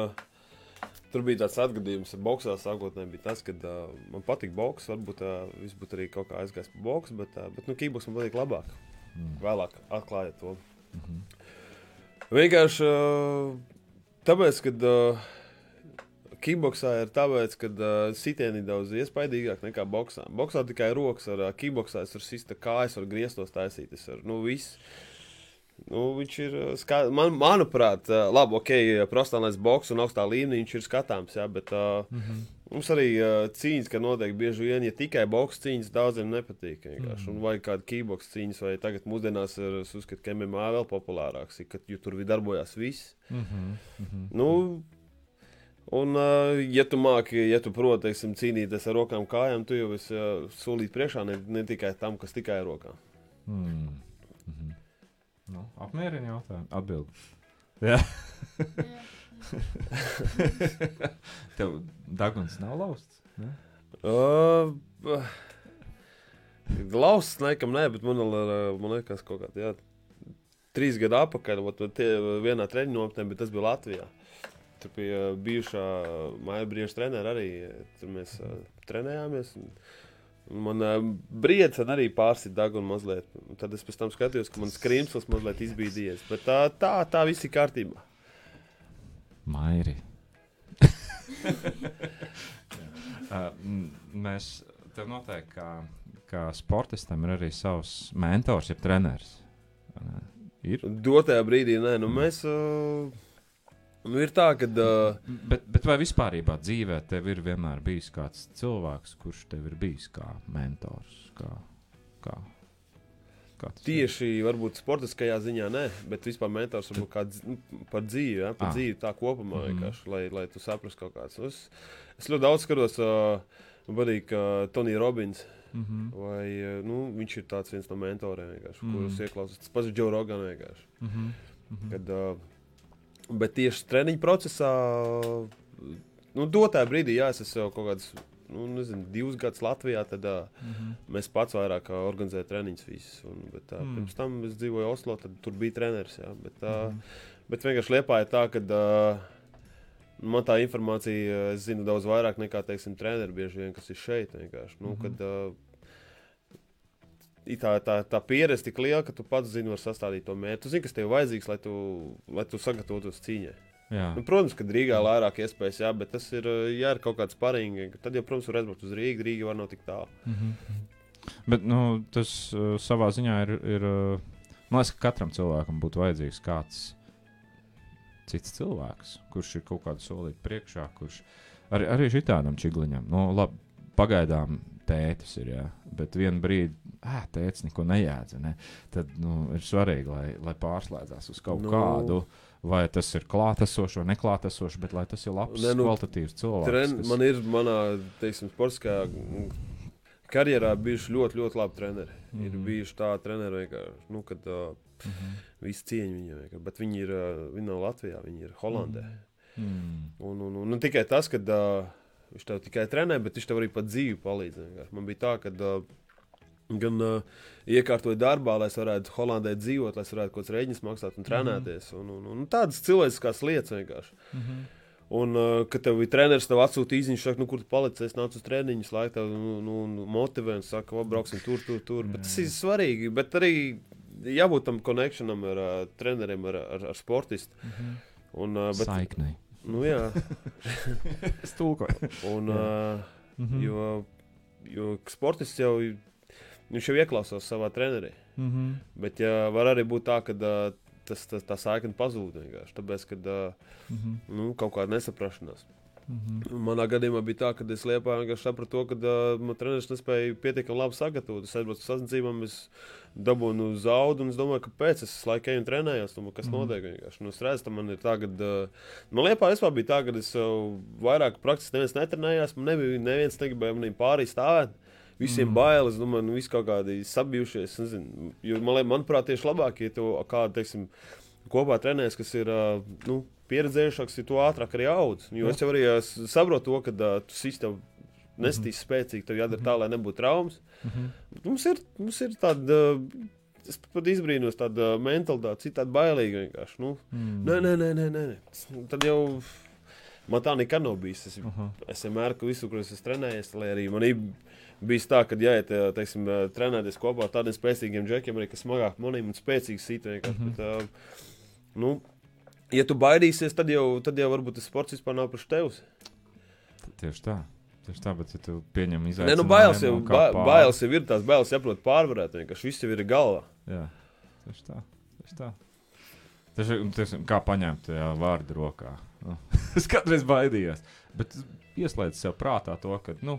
tur bija tāds atgadījums ar boxā. Sākotnēji bija tas, ka uh, man patīk boks. Varbūt uh, viss būtu arī kaut kā aizgājis pa boksu, bet, uh, bet nu, kickboks man patīk labāk. Mm. Vēlāk atklājot to. Mhm. Vienkārši uh, tāpēc, ka uh, kickboksā ir tāpēc, ka uh, sitieni ir daudz iespaidīgāk nekā boksā. Boksā tikai rokas, ar uh, kickboksā es varu sist kājas, varu griestos taisīt. Es varu, nu, viss. Nu, viņš ir, uh, ska... Man, manuprāt, uh, labi, ok, profesionālais boks un augstā līmenī viņš ir skatāms, jā, bet uh, Mhm. mums arī uh, cīņas, ka notiek bieži vien, ja tikai boks cīņas daudziem nepatīk. Vienkārši. Un vai kāda kickboks cīņas, vai tagad mūsdienās ir, es uzskatu, ka M M A vēl populārāks, ir, ka, jo tur darbojās viss. Mhm. Mhm. Nu, Un, uh, ja tu māki, ja tu proti, teiksim, cīnīties ar rokām kājām, tu jau esi uh, solīt priekšā ne, ne tikai tam, kas tikai ar rokām. Mm. Mm-hmm. Nu, apmierina jautājumu. Atbildi. Jā. Tev daguns nav lausts? Ne? Uh, lausts nekam nē, bet man, man liekas kaut kādā, jā, trīs gadu apakaļ, tie vienā treniņu nometnē, bet tas bija Latvijā. Tur bija bijušā Maija Brieža treneri arī, tur mēs uh, trenējāmies. Un, un man uh, briedzen arī pārsit dagunu mazliet. Un tad es pēc tam skatījos, ka man skrimsls mazliet izbīdījies. Bet tā, tā, tā viss ir kārtībā. Mairi. uh, mēs tev noteikti, kā, kā sportistam, ir arī savs mentors, jeb treneris. Ir? Dotajā brīdī, nē, nu mēs... Uh, nu ir tā, ka... Uh, bet, bet vai vispārībā dzīvē tev ir vienmēr bijis kāds cilvēks, kurš tev ir bijis kā mentors? Kā, kā, kā tieši, ir? Varbūt sportiskajā ziņā, nē, bet vispār mentors varbūt kā dz, par dzīvi, ja, par ah. dzīvi tā kopumā, mm. vienkārši, lai, lai tu saprast kaut kāds. Es, es ļoti daudz skatos, uh, vadīju, ka Tony Robbins, mm-hmm. vai, nu, viņš ir tāds viens no mentoriem, vienkārši, mm. kurus ieklausās. Tas pats Joe Rogan vienkārši. Mm-hmm. Mm-hmm. Kad, uh, bet tieši treniņu procesā, nu, dotā brīdī, jā, es esmu jau kaut kāds, nu, nezinu, divus gadus Latvijā, tad uh, mm-hmm. mēs pats vairāk organizējam treniņus visus. Un, bet uh, mm. pirms tam es dzīvoju Oslo, tad tur bija treneris, jā. Bet, uh, mm-hmm. bet vienkārši Liepāja tā, ka uh, man tā informācija, es zinu daudz vairāk nekā, teiksim, treneri bieži vien, kas ir šeit vienkārši. Nu, mm-hmm. kad, uh, Tā, tā, tā pieredze tik liela, ka tu pats zini, var sastādīt to mērķi. Tu zini, kas tev vajadzīgs, lai tu, lai tu sagatavotos cīņai. Nu, protams, ka Rīgā ir vairāk iespējas, jā, bet tas ir, jā, ir kaut kāds paringi. Tad, jau, protams, var aizbraukt uz Rīgu, Rīga var nav tik tālu. Mm-hmm. Bet, nu, tas uh, savā ziņā ir, ir uh, man liekas, ka katram cilvēkam būtu vajadzīgs kāds cits cilvēks, kurš ir kaut kādu solīti priekšā, kurš arī, arī šitādam čigliņam, nu, labi, pagaidām tētis ir, jā, bet vienu brīdi, ā, tētis neko nejēdza, ne? Tad, nu, ir svarīgi, lai, lai pārslēdzās uz kaut no. kādu, vai tas ir klātesošs vai neklātesošs, bet lai tas ir labs, ne, nu, kvalitatīvs cilvēks. Tren, kas... Man ir manā, teiksim, sportiskajā karjerā bijuši ļoti, ļoti labi treneri. Mm-hmm. Ir bijuši tā treneri vienkārši, nu, kad uh, mm-hmm. visi cieņi viņu vienkārši, bet viņi ir, uh, viņi nav Latvijā, viņi ir Holandē. Mm-hmm. Un, un, un, un tikai tas, kad uh, viņš tev tikai trenē, bet viņš tev arī pat dzīvi palīdz. Vienkārši. Man bija tā, ka uh, gan uh, iekārtoju darbā, lai es varētu Holandē dzīvot, lai es varētu kaut kāds rēģiņus maksāt un trenēties. Mm-hmm. Un, un, un tādas cilvēciskās lietas vienkārši. Mm-hmm. Un, uh, kad tev bija treneris, tev atsūta īziņš, saka, nu, kur tu palici, es nācu uz treniņus, lai tev nu, nu, motivē un saka, o, brauksim tur, tur, tur. Bet tas ir svarīgi, bet arī jābūt tam connectionam ar uh, treneriem, ar, ar, ar sportistu. Mm-hmm. Un, uh, bet, Saiknei. Nu, jā. Es tulkoju. Un, uh, mm-hmm. jo, jo sportists jau, viņš jau ieklausās savā trenerī. Mm-hmm. Bet ja, var arī būt tā, ka uh, tas, tas, tā saikne pazūd vienkārši, tāpēc, kad uh, mm-hmm. nu, kaut kāda nesaprašanās. Mm-hmm. Manā gadījumā bija tā, ka es Liepā vienkārši sapratu to, ka uh, man treneris nespēja pietiekami labi sagatavot. Es aizbraucu uz sacensībām, es dabūnu zaudu, un es domāju, kāpēc es laiku eju un trenējos, un kas mm-hmm. notiek vienkārši. Nu, es redzu, man ir tā, ka uh, man Liepā vispār bija tā, ka es uh, vairāk praktiski neviens netrenējās, man nebija neviens negribēja manī pārī stāvēt. Visiem mm. bailes, domāju, nu, visi kaut kādi sabijušies, nezinu, jo, man, manuprāt, tieši labāk, ja tu kādu, teiksim, kopā trenēs, kas ir, nu, pieredzējušāks, ja tu ātrāk arī audz. Jo es jau arī saprotu to, ka uh, tu sīs tev nestīs mm-hmm. spēcīgi, tev jādara tā, lai nebūtu traumas. Mm-hmm. Mums ir, mums ir tāda, es pat izbrīnos tāda mentalitāte, citādi bailīga vienkārši, nu, mm. nē, nē, nē, nē, nē, tad jau... Man tā nekad nav bijis. Es, uh-huh. es vienmēr, ka visu, kur es esmu trenējies, lai arī man ir bijis tā, ka jāiet, teiksim, trenēties kopā ar tādiem spēcīgiem džekiem, arī, kas smagāk manīm un spēcīgs sit vienkārši. Uh-huh. Bet, uh, nu, ja tu baidīsies, tad jau, tad jau varbūt tas sports vispār nav priekš tevs. Tieši tā. Tieši tā, bet ja tu pieņem izaicinājumu... Ne, nu, bailes jau, ba, bailes jau ir tās, bailes jāprot pārvarēt vienkārši. Viss jau ir galvā. Jā, tieši tā. Tieši tā. Tieši, tieši, kā paņemt jā, vārdu rokā. Nu, es kādreiz baidījos, bet ieslēdz sev prātā to, ka, nu,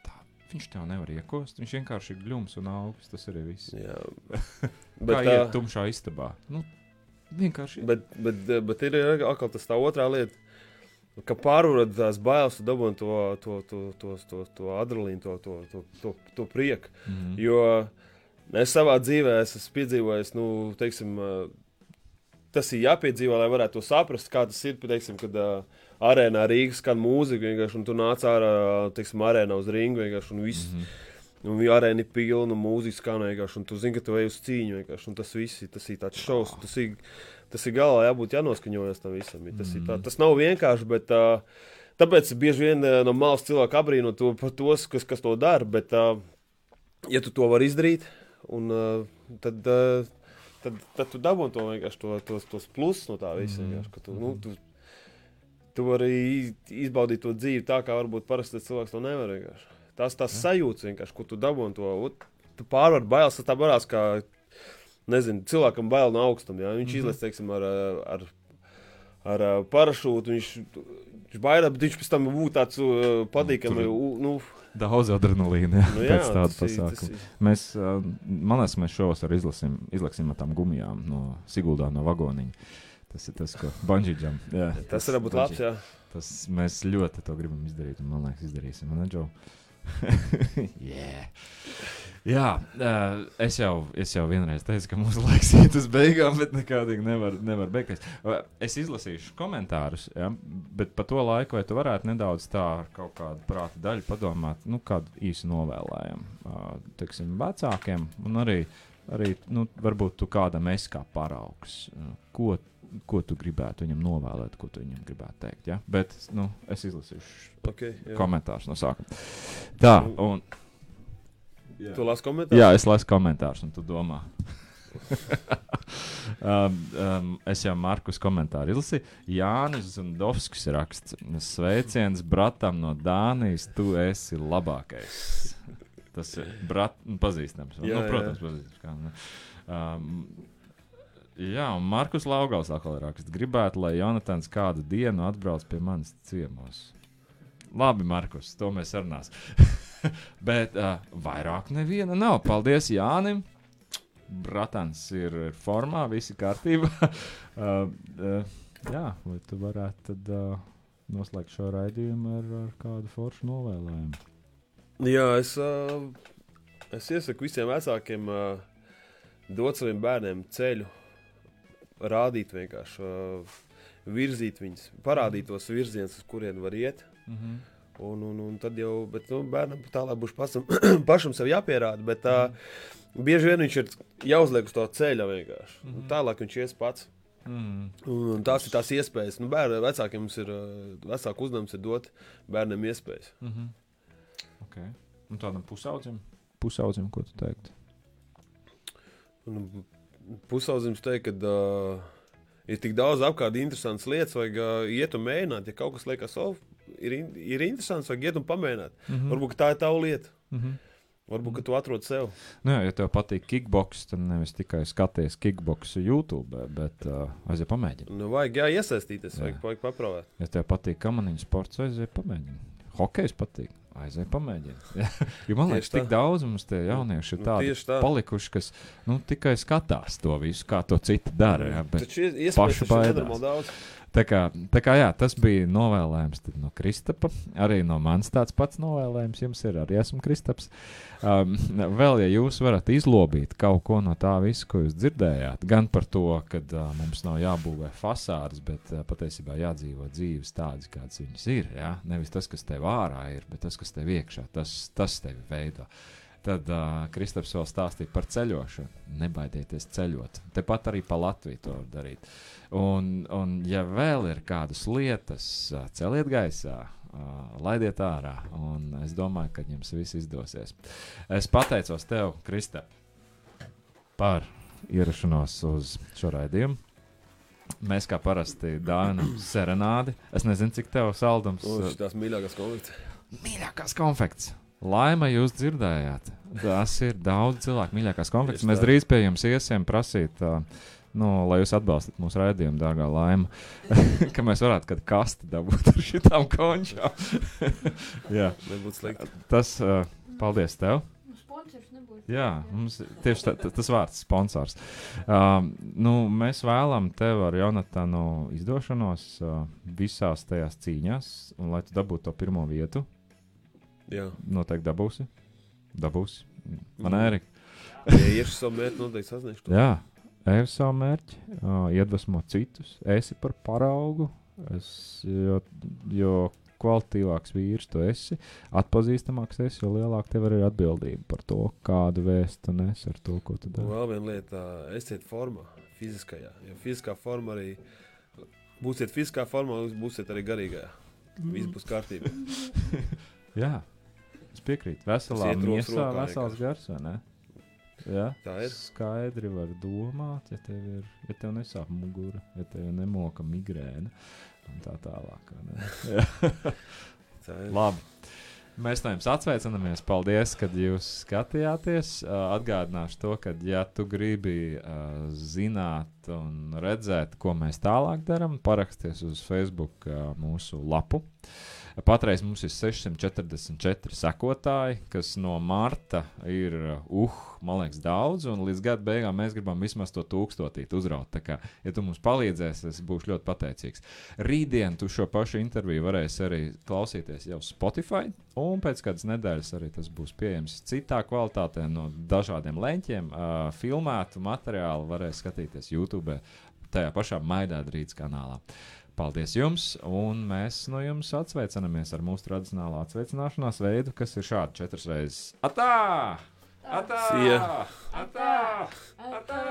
tā, viņš tev nevar iekost, viņš vienkārši ir gļums un augsts, tas arī viss. Jā. Bet, kā iet tumšā istabā. Nu, vienkārši. Bet, bet, bet ir atkal tas tā otrā lieta. ka pārvarot tās bailes, tu dabūni to, to, to, to, to, to adrenalīnu, to, to, to, to, to prieku. Mm-hmm. Jo es savā dzīvē es esmu piedzīvojis, nu, teiksim, tas ir jāpiedzīvo, lai varētu to saprast, kā tas ir, teiksim, kad uh, arēnā Rīgas skan mūzika vienkārši, un tu nāc ārā, teiksim, arēnā uz ringu vienkārši, un viss, mm-hmm. un arēna ir pilna, un mūzika skan vienkārši, un tu zini, ka tu ej uz cīņu vienkārši, un tas viss ir, tas ir tāds šovs, tas ir, tas ir galā jābūt jānoskaņojas tam visam. Tas, mm. tā, tas nav vienkārši, bet uh, tāpēc bieži vien uh, no malas cilvēku abrīno to par tos, kas, kas to dara, bet uh, ja tu to vari izdarīt, un, uh, tad, uh, tad, tad tu dabūni to vienkārši to, tos, tos plusus no tā visa. Mm. Ka tu, nu, tu, tu vari izbaudīt to dzīvi tā, kā varbūt parasti cilvēks to nevar vienkārši. Tās, tās sajūtas vienkārši, ko tu dabūni to, tu pārvar bailes, tas tā varās kā nezinu, cilvēkam bail no augstam, jā. Viņš mm-hmm. izlēc, teiksim, ar, ar, ar parašūtu, viņš, viņš baidās, bet viņš pēc tam būtu tāds uh, patīkami, uh, nu... Daudz adrenalīna, jā, nu, jā, pēc tāda pasākuma. Ir... Mēs, uh, man liekas, mēs šovas arī izlasim, izlaksim ar tām gumijām no Siguldā, no vagoniņa. Tas ir tas, ko bungee jump. Jā, tas, tas var būt labs, jā. Tas mēs ļoti to gribam izdarīt, un man liekas, izdarīsim, ne, Džo? yeah. Jā, uh, es, jau, es jau vienreiz teicu, ka mūsu laiks iet uz beigām, bet nekādīgi nevar, nevar beigties. Uh, es izlasīšu komentārus, ja, bet pa to laiku, vai tu varētu nedaudz tā ar kaut kādu prāta daļu padomāt, nu, kādu īsu novēlējumu, uh, teiksim, vecākiem, un arī, arī nu, varbūt tu kādam esi kā paraugs, uh, ko, ko tu gribētu viņam novēlēt, ko tu viņam gribētu teikt, ja? Bet, nu, es izlasīšu okay, komentārus no sākuma. Tā, un... Jā. Tu lasi komentārus? Jā, es lasu komentārus, un tu domā. um, um, es jau Markus komentāru izlasīju. Jānis Zundovskis raksts. Sveiciens bratam no Dānijas, tu esi labākais. Tas ir brat, pazīstams. Jā, nu, protams, jā. Pazīstams. Kā, ne? Um, jā, un Markus Laugals atkal raksts. Gribētu, lai Jonatans kādu dienu atbrauc pie manis ciemos. Labi, Markus, to mēs sarunās. Bet uh, vairāk neviena nav. Paldies Jānim. Bratans ir formā, visi kārtībā. uh, uh, jā, vai tu varētu tad uh, noslēgt šo raidījumu ar, ar kādu foršu novēlējumu? Jā, es, uh, es iesaku visiem vecākiem uh, dot saviem bērniem ceļu, rādīt vienkārši, uh, virzīt viņus, parādīt tos virzienus, uz kurien var iet. Mhm. Un, un, un tad jau, bet, nu, bērnam tālāk būs pašam, pašam sev jāpierāda, bet tā, mm. bieži vien viņš ir jāuzliek uz to ceļa vienkārši. Mm. Tālāk viņš ies pats. Mm. Un, un tās ir tās iespējas. Nu, bērni, vecākiem mums ir, vecāku uzdevums ir dot bērniem iespējas. Mm-hmm. Ok. Un tādam pusaudzim? Pusaudzim, ko tu teikt? Un, pusaudzim teikt, ka uh, ir tik daudz apkārt interesantas lietas, vajag uh, iet un mēģināt, ja kaut kas liekas, oh, Ir, in, ir interesants, vajag iet un pamēģināt. Mm-hmm. Varbūt tā ir tava lieta. Mm-hmm. Varbūt, ka tu atrod sev. Nu jā, ja tev patīk kickboks, tad nevis tikai skaties kickboksu YouTube, bet uh, aiziet pamēģini. Nu, vajag jā, iesaistīties, jā. Vajag, vajag papravēt. Ja tev patīk kamaniņu sports, aiziet pamēģini. Hokejs patīk, aiziet pamēģini. Jo man liekas, tik daudz mums tie jaunieši ir tādi nu, tā. palikuši, kas nu, tikai skatās to visu, kā to citi dara. Jā, bet taču paši baidās. Tā kā, tā kā jā, tas bija novēlējums no Kristapa, arī no manis tāds pats novēlējums jums ir, arī esmu Kristaps. Um, vēl, ja jūs varat izlobīt kaut ko no tā visu, ko jūs dzirdējāt, gan par to, kad uh, mums nav jābūvē fasādes, bet uh, patiesībā jādzīvo dzīves tādas, kādas viņas ir, jā? Nevis tas, kas tev ārā ir, bet tas, kas tev iekšā, tas, tas tevi veido. Tad uh, Kristaps vēl stāstīja par ceļošanu. Nebaidieties ceļot. Tepat arī pa Latviju to var darīt. Un, un ja vēl ir kādas lietas, uh, celiet gaisā, uh, laidiet ārā. Un es domāju, ka jums viss izdosies. Es pateicos tev, Kristap, par ierašanos uz šo raidījumu. Mēs kā parasti dāvinam serenādi. Es nezinu, cik tev saldums. Uz tās mīļākās konfekts. Mīļākās konfekts. Laima jūs dzirdējāt. Tas ir daudz cilvēku mīļākās konfekts. Mēs drīz pie jums iesim prasīt, uh, nu, lai jūs atbalstat mūsu raidījumu, dārgā Laima, ka mēs varētu kādu kasti dabūt ar šitām končām. Jā. Nebūtu slikti. Tas, uh, paldies tev. sponsors nebūs. Jā, mums tieši tā, tā, tas vārds sponsors. Um, nu, mēs vēlam tev ar Jonatanu izdošanos uh, visās tajās cīņās, un lai tu dabūtu to pirmo vietu. Jā. Noteikti dabūsi. Dabūsi. Man Mm. Ērika. Ja iešu savu mērķi, noteikti sasniegšu to. Jā, ej uz savu mērķi, uh, iedvesmo citus, esi par paraugu, es, jo, jo kvalitīvāks vīrs tu esi, atpazīstamāks esi, jo lielāk tev ir atbildība par to, kādu vēstu tu nes ar to, ko tu Un dari. vēl viena lieta, esiet formā, fiziskajā. Jo fiziskā forma arī, būsiet fiziskā formā, jūs būsiet arī garīgajā. Viss būs kārtībā. Jā, es piekrītu. Veselā Tas iet rokas miesā, rokā vesels vienkārši. gars, vai ne? Jā, Tā ir. skaidri var domāt, ja tev, ir, ja tev nesāp mugura, ja tev nemoka migrēna un tā tālāk. vai ne? Jā. Tā ir. Labi. Mēs no jums atsveicinamies. Paldies, ka jūs skatījāties. Uh, atgādināšu to, ka, ja tu gribi uh, zināt un redzēt, ko mēs tālāk darām, paraksties uz Facebook uh, mūsu lapu. Patreiz mums ir sešsimt četrdesmit četri sekotāji, kas no marta ir, uh, man liekas, daudz, un līdz gada beigām mēs gribam vismaz to tūkstotīt uzraut. Tā kā, ja tu mums palīdzēsi, es būšu ļoti pateicīgs. Rītdien tu šo pašu interviju varēsi arī klausīties jau Spotify, un pēc kādas nedēļas arī tas būs pieejams citā kvalitātē no dažādiem leņķiem. Uh, filmētu materiālu varēs skatīties YouTube, tajā pašā Maidādrītas kanālā. Paldies jums, un mēs no jums atsveicinamies ar mūsu tradicionālo atsveicināšanās veidu, kas ir šādi četras reizes. Atā! Atā! See ya! Atā! Atā!